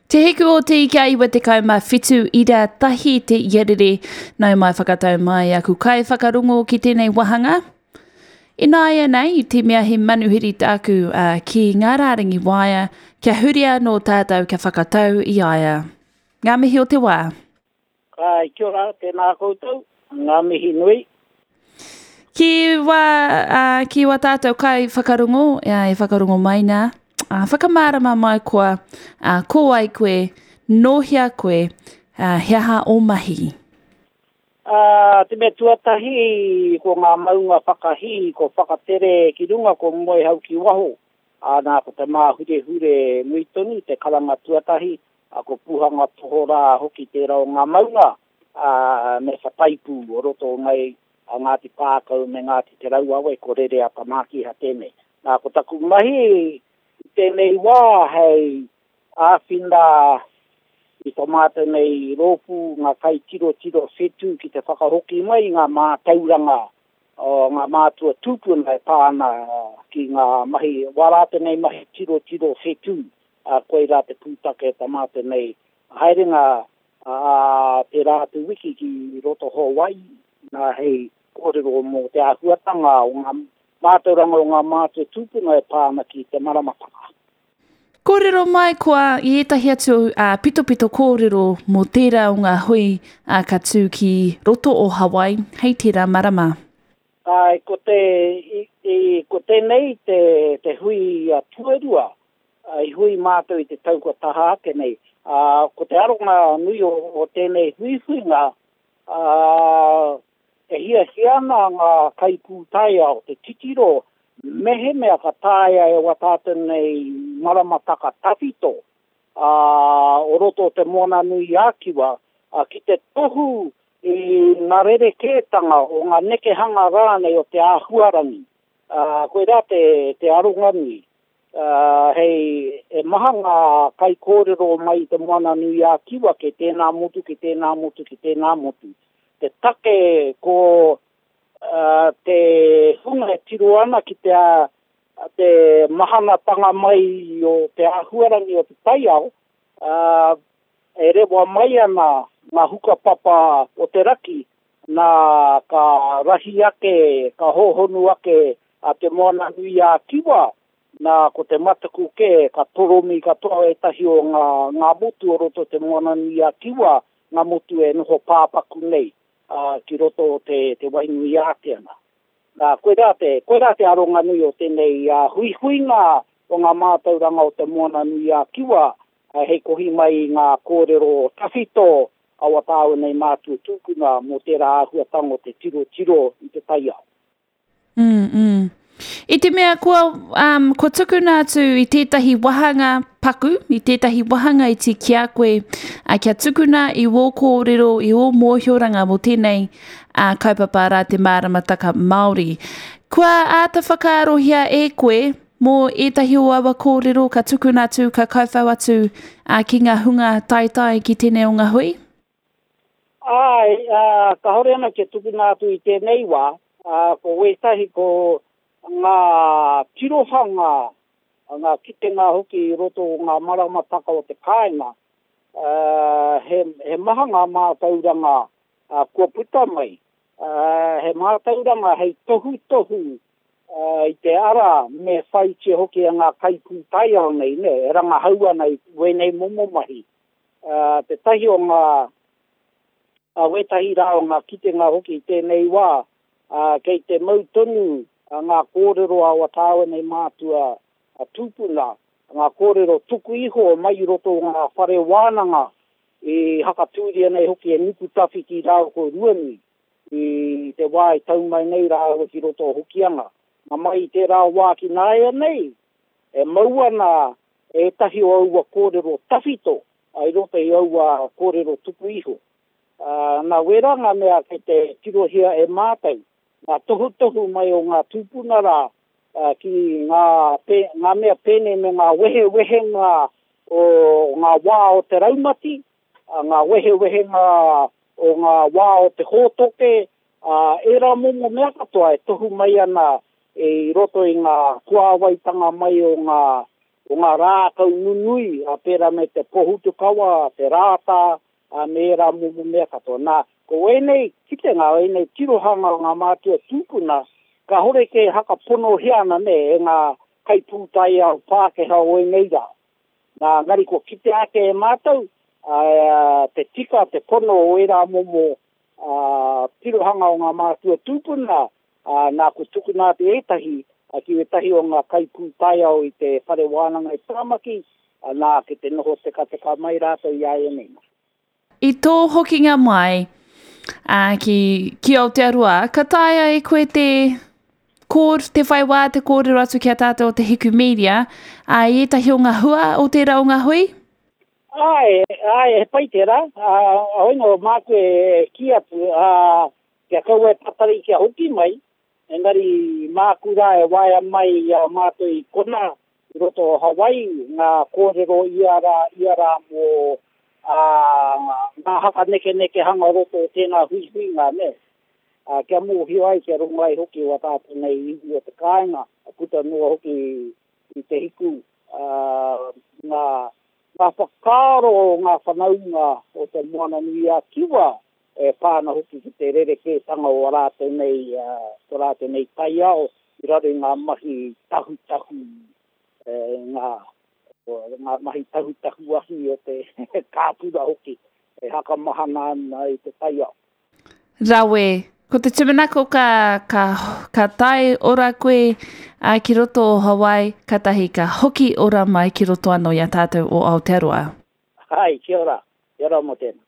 Te Hiku o Te Ika 97 ira tahi te iarere. Nau mai whakatau mai aku kai whakarongo ki tēnei wahanga. Ināianei, i te mea he manuhiri tāku uh, ki ngā rārangi waea, kia huri anō tātou kia whakatau i a ia. Ngā mihi o te wā. Āe, kia ora, tēnā koutou, ngā mihi nui. Ki wā, uh, ki wā tātou kai whakarongo, e whakarongo mai nā, uh, whakamārama mai koa, uh, ko wai koe, nō hea koe, uh, he aha ō mahi? Ā, te mea tuatahi, ko ngā maunga whakahī, ko Whakatere ki runga, ko Moehau ki waho. Ā, nā, ko te Māhurehure nui tonu te karanga tuatahi, ā, ko Puhanga Tohorā hoki tērā o ngā maunga, ā, me Whataipū o roto o Ngai, a Ngāti Pākau me Ngāti Te Rauawe, ko Rereata Mākiha tēnei. Nā, ko taku mahi i tēnei wā hei āwhina i tō mātou nei rōpū ngā kaitirotiro whetū ki te whakahoki mai i ngā mātauranga o ngā mātua tūpuna e pā ana ki ngā mahi, wā rātou nei mahi tirotiro whetū, ā, koirā te pūtake o tā mātou nei haerenga ā tērā atu wiki ki roto Hawaii, nā hei kōrero mō te āhuatanga o ngā mātauranga o ngā mātua tūpuna e pā ana ki te maramataka. Kōrero mai koa i ētahi atu pitopito kōrero mō tērā o ngā hui ka tū ki roto o Hawaii hei tērā marama. Āe, ko te, i, i, ko tēnei te, te hui tuarua i hui mātou i te tau kua taha ake nei. Ā, ko te aronga nui o, o tēnei huihuinga, ā, E hiahia ana ngā kaipūtaiao te titiro mehemea ka taea e wā tātou nei maramataka tawhito, ā, o roto o Te Moananui-a-Kiwa, ki te tohu i ngā rerekētanga o ngā nekehanga rānei o te āhuarangi. Ā, koirā te, te aronga nui. Ā, hei, e maha ngā kaikōrero mai i Te Moananui-a-Kiwa kei tēnā motu, kei tēnā motu, kei tēnā motu. Te take ko te hunga e tiro ana ki te te mahanatanga mai o te āhuarangi o te taiao, e rewa mai ana ngā hukapapa o te raki, nā ka rahi ake, ka hōhonu ake a Te Moananui-a-Kiwa, nā ko te mataku kē ka toromi katoa ētahi o ngā ngā motu o roto o Te Moananui-a-Kiwa ngā motu e noho pāpaku nei ki roto o te, te Wainui-ātea nā. Nā, koirā te, koirā te aronga nui o tēnei huihuinga o ngā mātauranga o Te Moananui-a-Kiwa hei kohi mai i ngā kōrero tawhito a wā tāua nei mātua tūpuna mō tērā āhuatanga o te tirotiro i te taiao. Mm, mm. I te mea kua, um, kua tukuna atu i tētahi wahanga paku, i tētahi wahanga iti ki a koe, uh, kia tukuna i wō kōrero, i wō mōhioranga mō tēnei uh, kaupapa rā te māramataka Māori. Kua āta whakaarohia e koe mō ētahi o aua kōrero ka tukuna atu, ka kauwhau atu uh, ki ngā hunga taetae ki tēnei o ngā hui? Āe, ā, kāore ana kia tukuna atu i tēnei wā, ā, ko wētahi ko ngā tirohanga, ngā kitenga hoki i roto o ngā maramataka o te kāinga, ā, he, he maha ngā mātauranga, ā, kua puta mai, ā, he mātauranga hei tohutohu, ā, i te ara me whaitia hoki e ngā kaipūtaiao nei, nē, e rangahau ana i wēnei momo mahi. Ā, tētahi o ngā, ā, wētahi rā o ngā kitenga hoki i tēnei wā, ā, kei te mau tonu ngā kōrero a wā tāua nei mātua tūpuna, ngā kōrero tuku iho mai i roto o ngā whare wānanga i hakatūria nei hoki e Nukutawhiti rāua ko Ruanui i te wā i tau mai nei rāua ki roto o Hokianga. Nā mai i tērā wā ki nāianei, e mau ana ētahi o aua kōrero tawhito i roto i aua kōrero tuku iho. Nā wērā ngā mea kei te tirohia e mātou, ngā tohutohu mai o ngā tūpuna rā ki ngā, ngā mea pēnei me ngā wehewehenga o ngā wā o te raumati, ngā wehewehenga o ngā wā o te hōtoke, ā, ērā momo mea katoa e tohu mai ana i roto i ngā puāwaitanga mai o ngā, o ngā rākau nunui, ā, pērā me te pohutukawa, te rātā, ā, me ērā momo mea katoa. Nā, ko ēnei kitenga, ēnei tirohanga o ngā mātua tūpuna, kāhore kē hakaponohia ana, nē, e ngā kaipūtaiao Pākehā o ēnei rā. Nā, engari kua kitea ake e mātou, ā, te tika, te pono o ērā momo, ā, tirohanga o ngā mātua tūpuna, ā, nā, kua tukuna atu ētahi ki ētahi o ngā kaipūtaiao i te whare wānanga i Tāmaki, ā, nā, ki te noho tekateka mai rātou i āianei. I tō hokinga mai, ā, ki, ki Aotearoa, ka taea e koe te kōr, te whai wā te kōrero atu ki a tātou o Te Hiku Media, ā, i ētahi o ngā hua o tērā o ngā hui? Āe, āe, he pai tērā. Ā, hoi nō, māku e kī atu, ā, Kia kaua e tatari kia hoki mai, engari māku rā e waea mai i a mātou i konā, i roto o Hawaii, ngā kōrero ia rā, ia rā mō ā, ngā hakanekenekehanga o roto o tēnā huihuinga, nē. Ā, kia mōhio ai, kia rongo ai hoki wā tātou nei iwi o te kāinga, puta noa hoki i te hiku, ā, ngā, ngā whakaaro o ngā whanaunga o Te Moananui-a-Kiwa e pā ana hoki ki te rerekētanga o ā rātou nei, tō rātou nei taiao i raro i ngā mahi tahutahu, ngā, ngā mahi tahutahu ahi o te kāpura hoki e hakamahana ana i te taiao. Rawe. Ko te tūmanako ka, ka, ka tae ora koe a, ki roto o Hawaii, katahi ka hoki ora mai ki roto anō i a tātou o Aotearoa. Hai, kia ora. Kia ora mō tēnā.